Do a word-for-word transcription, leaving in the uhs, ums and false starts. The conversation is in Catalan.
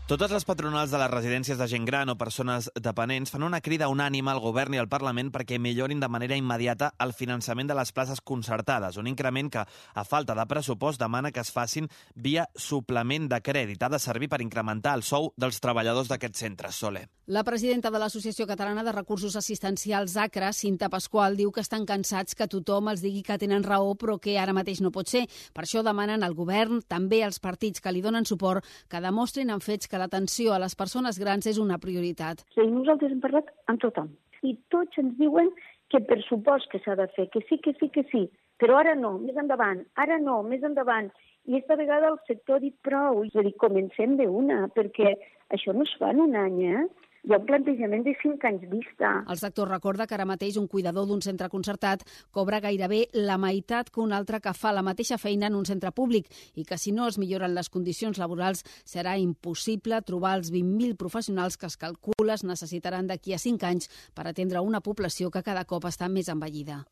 Totes les patronals de les residències de gent gran o persones dependents fan una crida unànime al govern i al Parlament perquè millorin de manera immediata el finançament de les places concertades, un increment que, a falta de pressupost, demana que es facin via suplement de crèdit. Ha de servir per incrementar el sou dels treballadors d'aquests centres. Soler. La presidenta de l'Associació Catalana de Recursos Assistencials, ACRA, Cinta Pasqual, diu que estan cansats que tothom els digui que tenen raó, però que ara mateix no pot ser. Per això demanen al govern, també als partits que li donen suport, que demostrin amb fets que l'atenció a les persones grans és una prioritat. Sí, nosaltres hem parlat amb tothom i tots ens diuen que per supost que s'ha de fer, que sí, que sí, que sí, però ara no, més endavant, ara no, més endavant. I aquesta vegada el sector ha dit prou. És a dir, comencem d'una, perquè això no es fa en un any, eh? Hi ha un plantejament de cinc anys vista. El sector recorda que ara mateix un cuidador d'un centre concertat cobra gairebé la meitat que un altre que fa la mateixa feina en un centre públic i que si no es milloren les condicions laborals serà impossible trobar els vint mil professionals que es calcula es necessitaran d'aquí a cinc anys per atendre una població que cada cop està més envellida.